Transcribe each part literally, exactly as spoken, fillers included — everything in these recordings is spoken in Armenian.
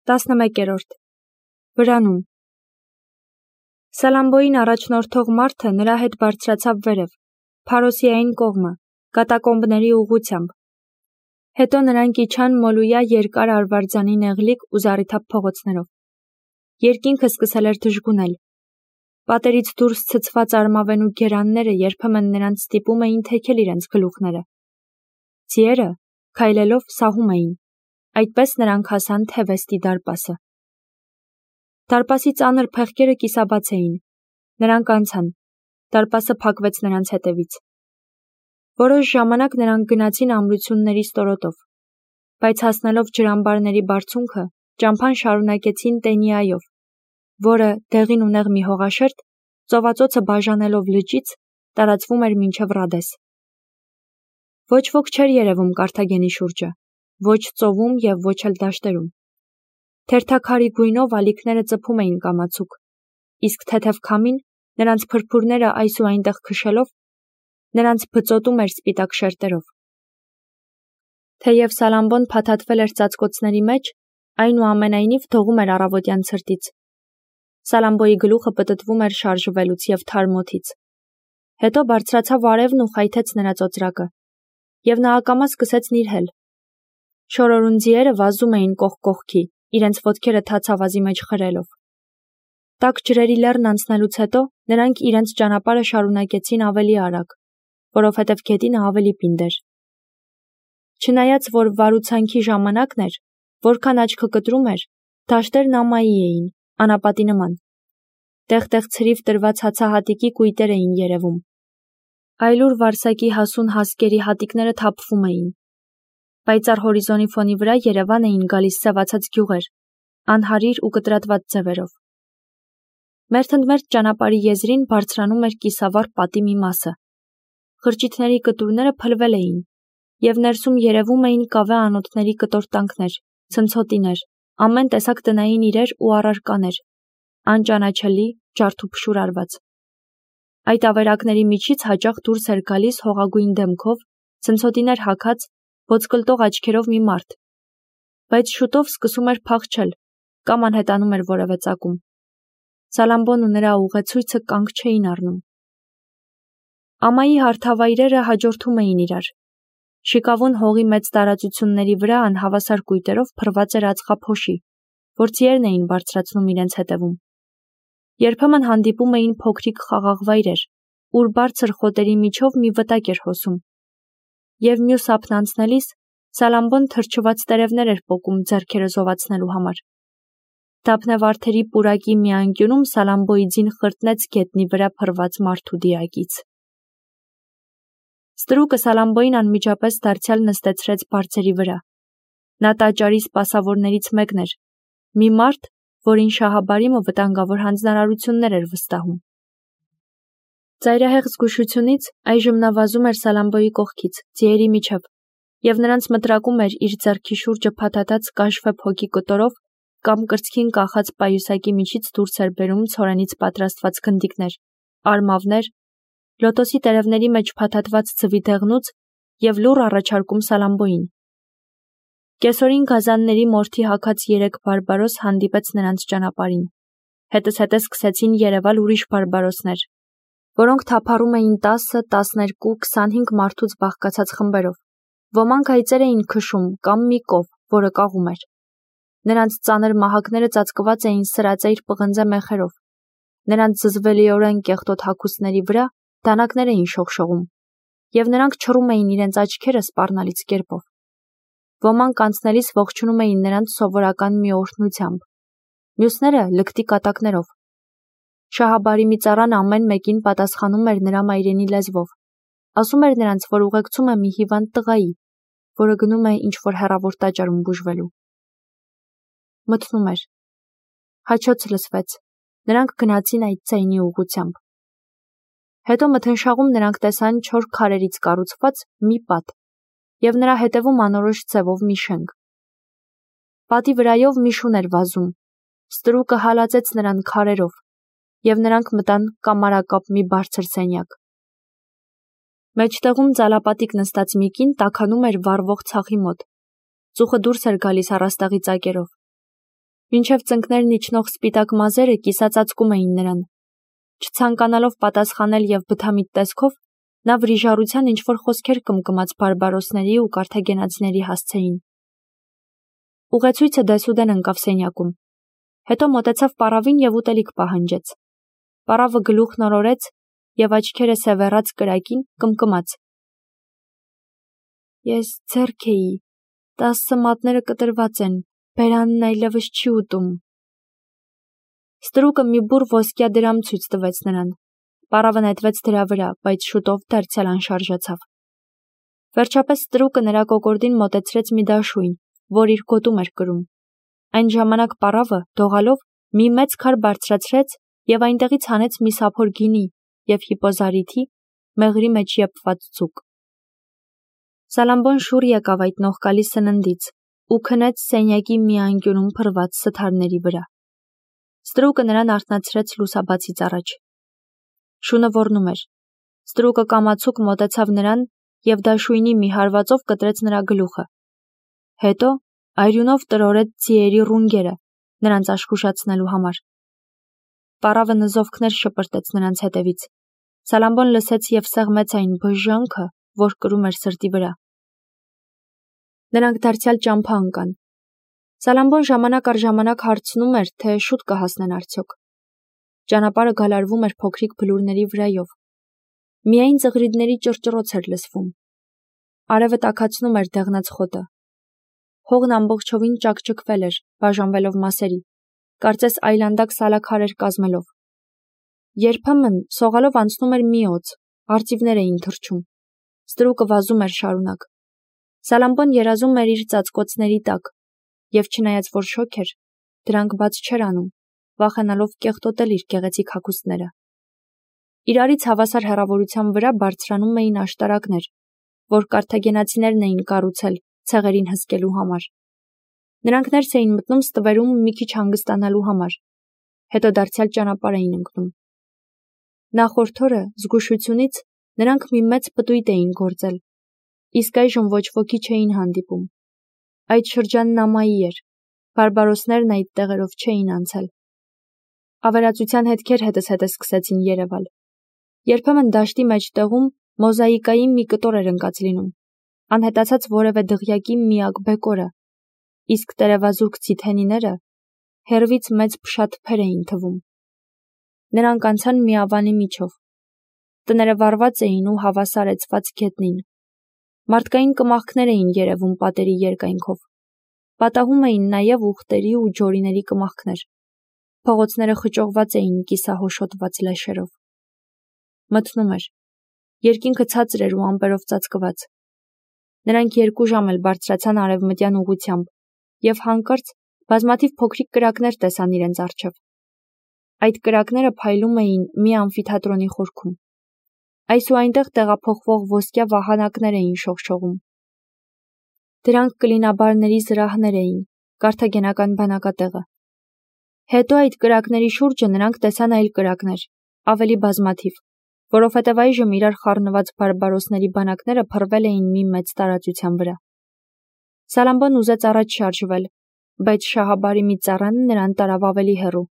տասնմեկերորդ Վրանում Սալամբոյին առաջնորդող մարդը նրա հետ բարձրացավ վերև, Փարոսիային կողմը, կատակոմբների ուղղությամբ։ Հետո նրանք իջան Մոլույա երկար արվարձանի նեղլիկ ու զառիթափ փողոցներով։ Երկինքը սկսել էր դժգունել։ Պատերից դուրս ցցված արմավենու գերանները երբեմն նրանց ստիպում էին թեքել իրենց գլուխները։ Ձիերը, քայլելով, սահում էին։ Այդպես նրանք հասան Թևեստի դարպասը։ Դարպասի ծանր փեղկերը կիսաբաց էին։ Նրանք անցան։ Դարպասը փակվեց նրանց հետևից։ Որոշ ժամանակ նրանք գնացին ամրությունների ստորոտով, բայց հասնելով ջրամբարների բարձունքը, ճամփան շարունակեցին Տենիայով, որը, դեղին ու նեղ մի հողաշերտ, ծովածոցը բաժանելով լճից, տարածվում էր մինչև Ռադես։ Ոչ ոք չէր երևում Կարթագենի շուրջը, ոչ ծովում և ոչ էլ դաշտերում։ Թերթաքարի գույնով ալիքները ծփում էին կամացուկ, իսկ թեթև քամին, նրանց փրփուրները այս ու այնտեղ քշելով, նրանց բծոտում էր սպիտակ շերտերով։ Թեև Սալամբոն փաթաթվել էր ծածկոցների մեջ, այնուամենայնիվ դողում էր առավոտյան ցրտից։ Սալամբոյի գլուխը պտտվում էր շարժվելուց և թարմ օդից։ Հետո բարձրացավ արևն ու խայթեց նրա ծոծրակը, և նա ակամա սկսեց նիրհել։ Շորորուն ձիերը վազում էին կողք կողքի, իրենց ոտքերը թաց ավազի մեջ խրելով։ Տաք ջրերի լեռն անցնելուց հետո նրանք իրենց ճանապարհը շարունակեցին ավելի արագ, որովհետև գետինը ավելի պինդ էր։ Չնայած որ վարուցանքի ժամանակն էր, որքան աչքը կտրում էր, դաշտերն ամայի էին, անապատի նման։ Տեղ-տեղ ցրիվ տրված հացահատիկի կույտեր էին երևում։ Այլուր վարսակի հասուն հասկերի հատիկները թափվում էին։ Պայծառ հորիզոնի ֆոնի վրա երևան էին գալիս սևացած գյուղեր, անհարիր ու կտրատված ձևերով։ Մերթընդմերթ ճանապարհի եզրին բարձրանում էր կիսավառ պատի մի մասը։ Խրճիթների կտուրները փլվել էին, և ներսում երևում էին կավե անոթների կտորտանքներ, ցնցոտիներ, ամեն տեսակ տնային իրեր ու առարկաներ, անճանաչելի, ջարդուփշուր արված։ Այդ ավերակների միջից հաճախ դուրս էր գալիս հողագույն դեմքով, ցնցոտիներ հագած, ոսկլտող աչքերով մի մարդ, բայց շուտով սկսում էր փախչել կամ անհետանում էր որևէ ծագում։ Սալամբոն ու նրա ուղեցույցը կանգ չէին առնում։ Ամայի հարթավայրերը հաջորդում էին իրար։ Շիկավուն հողի մեծ տարածությունների վրա անհավասար կույտերով փռված էր ածխափոշի, որ ձիերն էին բարձրացնում իրենց հետևում։ Երբեմն հանդիպում էին փոքրիկ խաղաղ վայրեր, ուր բարձր խոտերի միջով մի վտակ էր հոսում։ Եվ մյուս ափն անցնելիս Սալամբոն թրջված տերևներ էր պոկում ձեռքերը զովացնելու համար։ Դափնե վարդերի պուրակի մի անկյունում Սալամբոյի ձին խրտնեց գետնի վրա փռված մարդու դիակից։ Ստրուկը Սալամբոյին անմիջապես դարձյալ նստեցրեց բարձերի վրա։ Նա տաճարի սպասավորներից մեկն էր, մի մարդ, որին Շահաբարիմը վտանգավոր հանձնարարություններ էր վստահում։ Ծայրահեղ զգուշությունից այժմ նա վազում էր Սալամբոյի կողքից, ձիերի միջև, և նրանց մտրակում էր իր ձեռքի շուրջը փաթաթած կաշվե փոքի կտորով կամ կրծքին կախած պայուսակի միջից դուրս էր բերում ցորենից պատրաստված գնդիկներ, արմավներ, լոտոսի տերևների մեջ փաթաթված ձվի դեղնուց և լուռ առաջարկում Սալամբոյին։ Կեսօրին գազանների մորթի հագած երեք բարբարոս հանդիպեց նրանց ճանապարհին։ Հետզհետե սկսեցին երևալ ուրիշ բարբարոսներ, որոնք թափառում էին տասը, տասներկու, քսանհինգ մարդուց բաղկացած խմբերով։ Ոմանք այծեր էին քշում կամ մի կով, որը կաղում էր։ Նրանց ծանր մահակները ծածկված էին սրածայր պղնձե մեխերով։ Նրանց զզվելիորեն կեղտոտ հագուստների վրա դանակներ էին շողշողում, և նրանք չռում էին իրենց աչքերը սպառնալից կերպով։ Ոմանք անցնելիս ողջունում էին նրանց սովորական մի օրհնությամբ, մյուսները լկտի կատակներով։ Շահաբարիմի ծառան ամեն մեկին պատասխանում էր նրա մայրենի լեզվով, ասում էր նրանց, որ ուղեկցում է մի հիվանդ տղայի, որը գնում է ինչ-որ հեռավոր տաճարում բուժվելու։ Մթնում էր։ Հաչոց լսվեց։ Նրանք գնացին այդ ձայնի ուղղությամբ։ Հետո մթնշաղում նրանք տեսան չոր քարերից կառուցված մի պատ և նրա հետևում անորոշ ձևով մի շենք։ Պատի վրայով մի շուն էր վազում։ Ստրուկը հալածեց նրան քարերով, և նրանք մտան կամարակապ մի բարձր սենյակ։ Մեջտեղում ծալապատիկ նստած մի կին տաքանում էր վառվող ցախի մոտ։ Ծուխը դուրս էր գալիս առաստաղի ծակերով։ Մինչև ծնկներն իջնող սպիտակ մազերը կիսածածկում էին նրան։ Չցանկանալով պատասխանել և բթամիտ տեսքով, նա վրիժառության ինչ-որ խոսքեր կմկմաց բարբարոսների ու կարթագենացիների հասցեին։ Ուղեցույցը դեսուդեն ընկավ սենյակում։ Հետո մոտեցավ պառավին և ուտելիք պահանջեց։ Պառավը գլուխն օրորեց և աչքերը սևեռած կրակին կմկմաց. Ես ձեռք էի, տասը մատները կտրված են, բերանն այլևս չի ուտում։ Ստրուկը մի բուռ ոսկյա դրամ ցույց տվեց նրան։ Պառավը նետվեց դրա վրա, բայց շուտով դարձյալ անշարժացավ։ Վերջապես ստրուկը նրա կոկորդին մոտեցրեց մի դաշույն, որ իր գոտում էր կրում։ Այն ժամանակ պառավը, դողալով, մի մեծ քար բարձրացրեց և այնտեղից հանեց մի սափոր գինի և հիպոզարիթի, մեղրի մեջ եփված ձուկ։ Սալամբոն շուռ եկավ այդ նողկալի սննդից ու քնեց սենյակի մի անկյունում փռված սթարների վրա։ Ստրուկը նրան արթնացրեց լուսաբացից առաջ։ Շունը ոռնում էր։ Ստրուկը կամացուկ մոտեցավ նրան և դաշույնի մի հարվածով կտրեց նրա գլուխը։ Հետո այրյունով տրորեց ձիերի ռունգերը, նրանց աշխուժացնելու համար։ Պառավը նզովքներ շպրտեց նրանց հետևից։ Սալամբոն լսեց և սեղմեց այն բժժանքը, որ կրում էր սրտի վրա։ Նրանք դարձյալ ճամփա ընկան։ Սալամբոն ժամանակ առ ժամանակ հարցնում էր, թե շուտ կհասնեն արդյոք։ Ճանապարհը գալարվում էր փոքրիկ բլուրների վրայով։ Միայն ծղրիդների ճռճռոց էր լսվում։ Արևը տաքացնում էր դեղնած խոտը։ Հողն ամբողջովին ճաքճքվել էր, բաժանվելով մասերի, կարծես այլանդակ սալաքարեր կազմելով։ Երբեմն սողալով անցնում էր մի օձ, արծիվներ էին թռչում։ Ստրուկը վազում էր շարունակ։ Սալամբոն երազում էր իր ծածկոցների տակ, և չնայած որ շոգ էր, դրանք բաց չէր անում, վախենալով կեղտոտել իր գեղեցիկ հագուստները։ Իրարից հավասար հեռավորության վրա բարձրանում էին աշտարակներ, որ կարթագենացիներն էին կառուցել ցեղերին հսկելու համար։ Նրանք ներս էին մտնում ստվերում մի քիչ հանգստանալու համար, հետո դարձյալ ճանապարհ էին ընկնում։ Նախորդ օրը զգուշությունից նրանք մի մեծ պտույտ էին գործել, իսկ այժմ ոչ ոքի չէին հանդիպում։ Այդ շրջանն ամայի էր, բարբարոսներն այդ տեղերով չէին անցել։ Ավերածության հետքեր հետզհետե սկսեցին երևալ։ Երբեմն դաշտի մեջտեղում մոզաիկայի մի կտոր էր ընկած լինում, անհետացած որևէ դղյակի միակ բեկորը, իսկ տերևազուրկ ձիթենիները հեռվից մեծ փշատփեր էին թվում։ Նրանք անցան մի ավանի միջով։ Տները վառված էին ու հավասարեցված գետնին։ Մարդկային կմախքներ էին երևում պատերի երկայնքով։ Պատահում էին նաև ուղտերի ու ջորիների կմախքներ։ Փողոցները խճողված էին կիսահոշոտված լեշերով։ Մթնում էր։ Երկինքը ցածր էր ու ամպերով ծածկված։ Նրանք երկու ժամ էլ բարձրացան արևմտյան ուղղությամբ և հանկարծ բազմաթիվ փոքրիկ կրակներ տեսան իրենց առջև։ Այդ կրակները փայլում էին մի ամֆիթատրոնի խորքում։ Այս ու այնտեղ տեղափոխվող ոսկյա վահանակներ էին շողշողում։ Դրանք կլինաբարների զրահներ էին, կարթագենական բանակատեղը։ Հետո այդ կրակների շուրջը նրանք տեսան այլ կրակներ, ավելի բազմաթիվ, որովհետև այժմ իրար խառնված բարբարոսների բանակները փռվել էին մի մեծ տարածության վրա։ Սալամբոն ուզեց առաջ շարժվել, բայց շահաբարի մի ծառան նրան տարավ ավելի հեռու,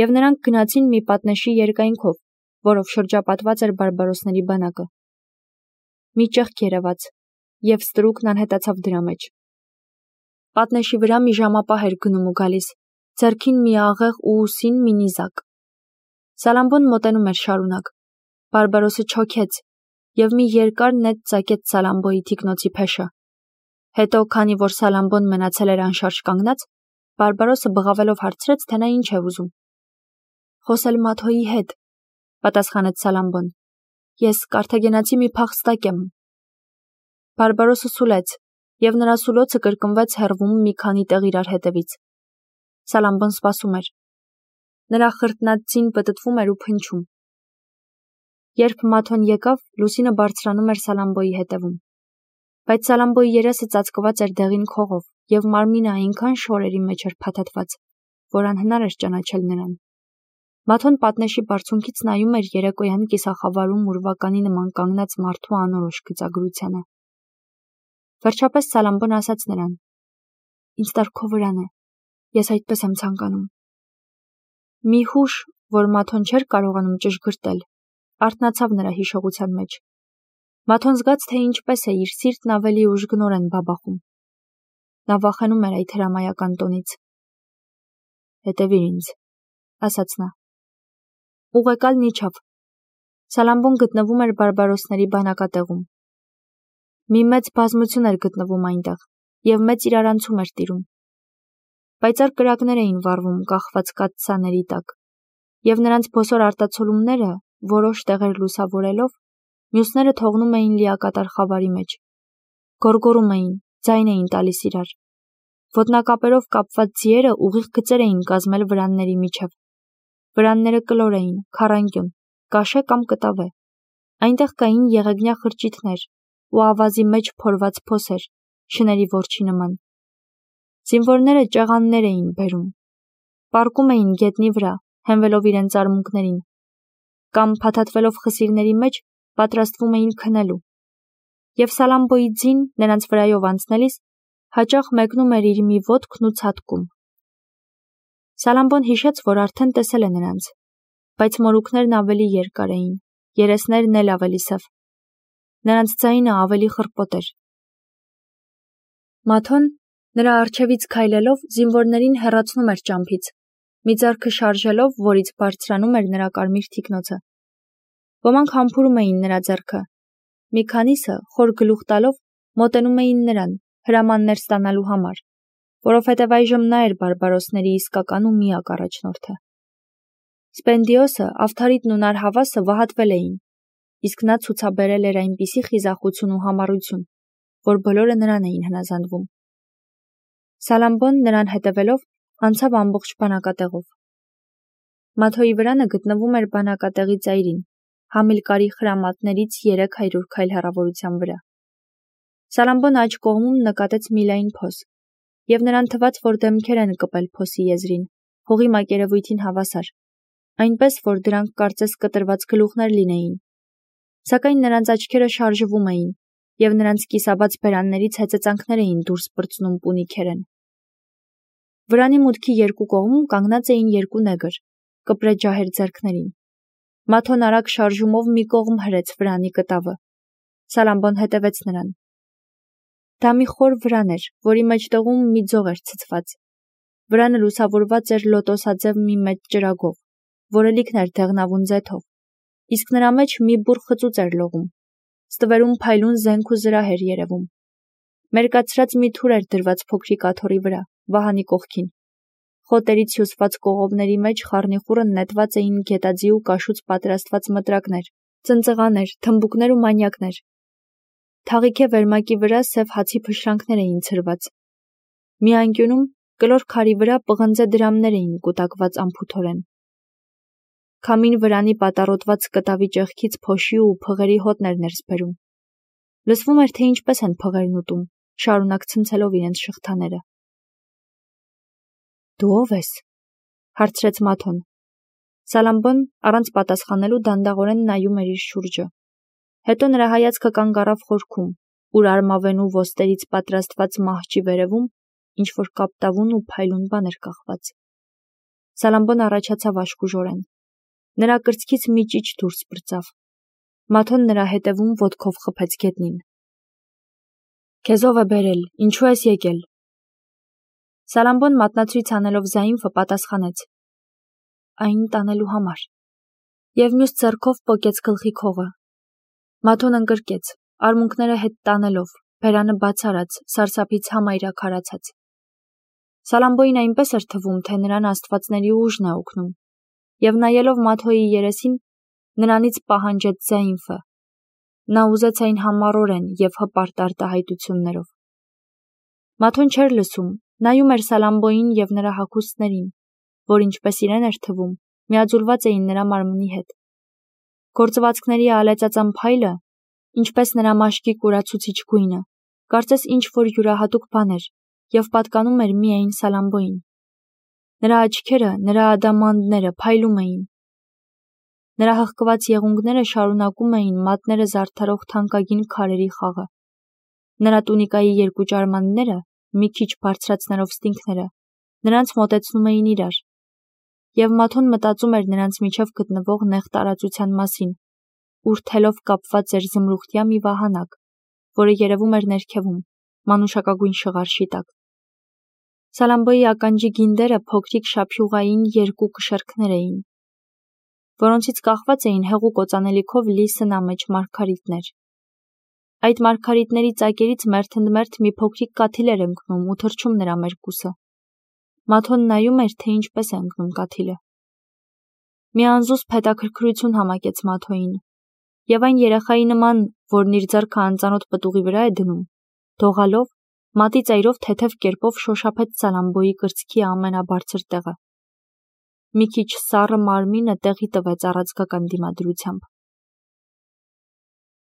և նրանք գնացին մի պատնեշի երկայնքով, որով շրջապատված էր բարբարոսների բանակը։ Մի ճեղք երևաց, և ստրուկն անհետացավ դրա մեջ։ Պատնեշի վրա մի ժամապահ էր գնում ու գալիս, ձեռքին մի աղեղ ու ուսին մի նիզակ։ Սալամբոն մոտենում էր շարունակ։ Բարբարոսը չոքեց և մի երկար նետ ծակեց Սալամբոյի թիկնոցի փեշը։ Հետո, քանի որ Սալամբոն մնացել էր անշարժ կանգնած, Բարբարոսը բղավելով հարցրեց, թե նա ինչ է ուզում։ Խոսել Մաթոյի հետ, պատասխանեց Սալամբոն։ Ես կարթագենացի մի փախստակ եմ։ Բարբարոսը սուլեց, և նրա սուլոցը կրկնվեց հեռվում մի քանի տեղ իրար հետևից։ Սալամբոն սպասում էր։ Նրա խրտնած ձին պտտվում էր ու փնչում։ Երբ Մաթոն եկավ, լուսինը բարձրանում էր Սալամբոյի հետևում։ Բայց Սալամբոյի երեսը ծածկված էր դեղին քողով, և մարմինը այնքան շորերի մեջ էր փաթաթված, որ անհնար էր ճանաչել նրան։ Մաթոն պատնեշի բարձունքից նայում էր երեկոյան կիսախավարում ուրվականի նման կանգնած մարդու անորոշ գծագրությանը։ Վերջապես Սալամբոն ասաց նրան. Ինձ տար քո վրանը, Ես այդպես եմ ցանկանում։ Մի հուշ, որ Մաթոն չէր կարողանում ճշգրտել, արթնացավ նրա հիշողության մեջ։ Մաթոն զգաց, թե ինչպես է իր սիրտն ավելի ուժգնորեն բաբախում։ Նա վախենում էր այդ հրամայական տոնից։ Հետևիր ինձ, ասաց նա։ Ուղեկալն իջավ։ Սալամբոն գտնվում էր բարբարոսների բանակատեղում։ Մի մեծ բազմություն էր գտնվում այնտեղ, և մեծ իրարանցում էր տիրում։ Պայծառ կրակներ էին վառվում կախված կաթսաների տակ, և նրանց բոսոր արտացոլումները, որոշ տեղեր լուսավորելով, մյուսները թողնում էին լիակատար խավարի մեջ։ Գոռգոռում էին, ձայն էին տալիս իրար։ Ոտնակապերով կապված ձիերը ուղիղ գծեր էին կազմել վրանների միջև։ Վրանները կլոր էին, քառանկյուն, կաշե կամ կտավե։ Այնտեղ կային եղեգնյա խրճիթներ ու ավազի մեջ փորված փոսեր, շների որջի նման։ Զինվորները ճեղաններ էին բերում, պառկում էին գետնի վրա, հենվելով իրենց արմունկներին, կամ փաթաթվելով խսիրների մեջ պատրաստվում էին քնելու։ Եվ Սալամբոյի ձին նրանց վրայով անցնելիս հաճախ մեկնում էր իր մի ոտքն ու ցատկում։ Սալամբոն հիշեց, որ արդեն տեսել է նրանց, բայց մորուքներն ավելի երկար էին, երեսներն էլ ավելի սև։ Նրանց ձայնը ավելի խռպոտ էր։ Մաթոն, նրա առջևից քայլելով, զինվորներին հեռացնում էր ճամփից, մի ձեռքը շարժելով, որից բարձրանում էր նրա կարմիր թիկնոցը։ Ոմանք համբուրում էին նրա ձեռքը։ Մի քանիսը, խոր գլուխ տալով, մոտենում էին նրան, հրամաններ ստանալու համար, որովհետև այժմ նա էր բարբարոսների իսկական ու միակ առաջնորդը։ Սպենդիոսը, Ավթարիտն ու Նարհավասը վհատվել էին, իսկ նա ցուցաբերել էր այնպիսի խիզախություն ու համառություն, որ բոլորը նրան էին հնազանդվում։ Սալամբոն նրան հետևելով անցավ ամբողջ բանակատեղով։ Մաթոյի վրանը գտնվում էր բանակատեղի ծայրին, Համիլկարի խրամատներից երեք հարյուր քայլ հեռավորության վրա։ Սալամբոն աջ կողմում նկատեց մի լայն փոս, և նրան թվաց, որ դեմքեր են կպել փոսի եզրին, հողի մակերևույթին հավասար, այնպես, որ դրանք կարծես կտրված գլուխներ լինեին։ Սակայն նրանց աչքերը շարժվում էին, և նրանց կիսաբաց բերաններից հեծեծանքներ էին դուրս պրծնում պունիքերեն։ Վրանի մուտքի երկու կողմում կանգնած էին երկու նեգր, կպրե ջահեր ձեռքներին։ Մաթոն արագ շարժումով մի կողմ հրեց վրանի կտավը։ Սալամբոն հետևեց նրան։ Դա մի խոր վրան էր, որի մեջտեղում մի ձող էր ցցված։ Վրանը լուսավորված էր լոտոսաձև մի մեծ ճրագով, որը լիքն էր դեղնավուն ձեթով, իսկ նրա մեջ մի բուռ խծուծ էր լողում։ Ստվերում փայլուն զենք ու զրահ էր երևում։ Մերկացրած մի թուր էր դրված փոքրիկ աթոռի վրա, վահանի կողքին։ Խոտերից հյուսված կողովների մեջ խառնիխուռն նետված էին գետաձի ու կաշուց պատրաստված մտրակներ, ծնծղաներ, թմբուկներ ու մանյակներ։ Թաղիքե վերմակի վրա սև հացի փշրանքներ էին ցրված։ Մի անկյունում կլոր քարի վրա պղնձե դրամներ էին կուտակված անփութորեն։ Քամին վրանի պատառոտված կտավի ճեղքից փոշի ու փղերի հոտն էր ներս բերում։ Լսվում էր, թե ինչպես են փղերն ուտում, շարունակ ցնցելով իրենց շղթաները։ Դու ո՞վ ես, հարցրեց Մաթոն։ Սալամբոն առանց պատասխանելու դանդաղորեն նայում էր իր շուրջը։ Հետո նրա հայացքը կանգ առավ խորքում, ուր արմավենու ոստերից պատրաստված մահճի վերևում ինչ-որ կապտավուն ու փայլուն բան էր կախված։ Սալամբոն առաջացավ աշխուժորեն։ Նրա կրծքից մի ճիչ դուրս պրծավ։ Մաթոն նրա հետևում ոտքով խփեց գետնին։ Քեզ ով է բերել, ինչու ես եկել։ Սալամբոն մատնացույց անելով Զայինֆը պատասխանեց. Այն տանելու համար։ Եվ մյուս ձեռքով պոկեց գլխի քողը։ Մաթոն ընկրկեց, արմունկները հետ տանելով, բերանը բաց արած, սարսափից համայրաքարացած։ Սալամբոյին այնպես էր թվում, թե նրան աստվածների ուժն է օգնում, և նայելով Մաթոյի երեսին, նրանից պահանջեց Զայինֆը։ Նա ուզեց այն համառորեն և հպարտ արտահայտություններով։ Մաթոն չէր լսում, նայում էր Սալամբոյին և նրա հագուստներին, որ ինչպես իրեն էր թվում, միաձուլված էին նրա մարմնի հետ։ Գործվածքների ալեծածան փայլը, ինչպես նրա մաշկի կուրացուցիչ գույնը, կարծես ինչ-որ յուրահատուկ բան էր և պատկանում էր միայն Սալամբոյին։ Նրա աչքերը, նրա ադամանդները փայլում էին։ Նրա հղկված եղունգները շարունակում էին մատները զարդարող թանկագին քարերի խաղը։ Նրա տունիկայի երկու ճարմանները, մի քիչ բարձրացնելով ստինքները, Նրանց մոտեցնում էին իրար, և Մաթոն մտածում էր նրանց միջև գտնվող նեղ տարածության մասին, ուրթելով կապված էր զմրուխտյա մի վահանակ, որը երևում էր ներքևում, մանուշակագույն շղարշի տակ։ Սալամբոյի ականջի գինդերը փոքրիկ շափյուղային երկու կշեռքներ էին, որոնցից կախված էին հեղուկ օծանելիքով լի սնամեջ մարգարիտներ։ Այդ մարգարիտների ծակերից մերթընդմերթ մի փոքրիկ կաթիլ էր ընկնում ու թռչում նրա մերկուսը։ Մաթոն նայում էր, թե ինչպես է ընկնում կաթիլը։ Մի անզուսպ հետաքրքրություն համակեց Մաթոյին, և այն երեխայի նման, որն իր ձեռքը անծանոթ պտուղի վրա է դնում, դողալով, մատի ծայրով թեթև կերպով շոշափեց Սալամբոյի կրծքի ամենաբարձր տեղը։ Մի քիչ սառը մարմինը տեղի տվեց առաձգական դիմադրությամբ։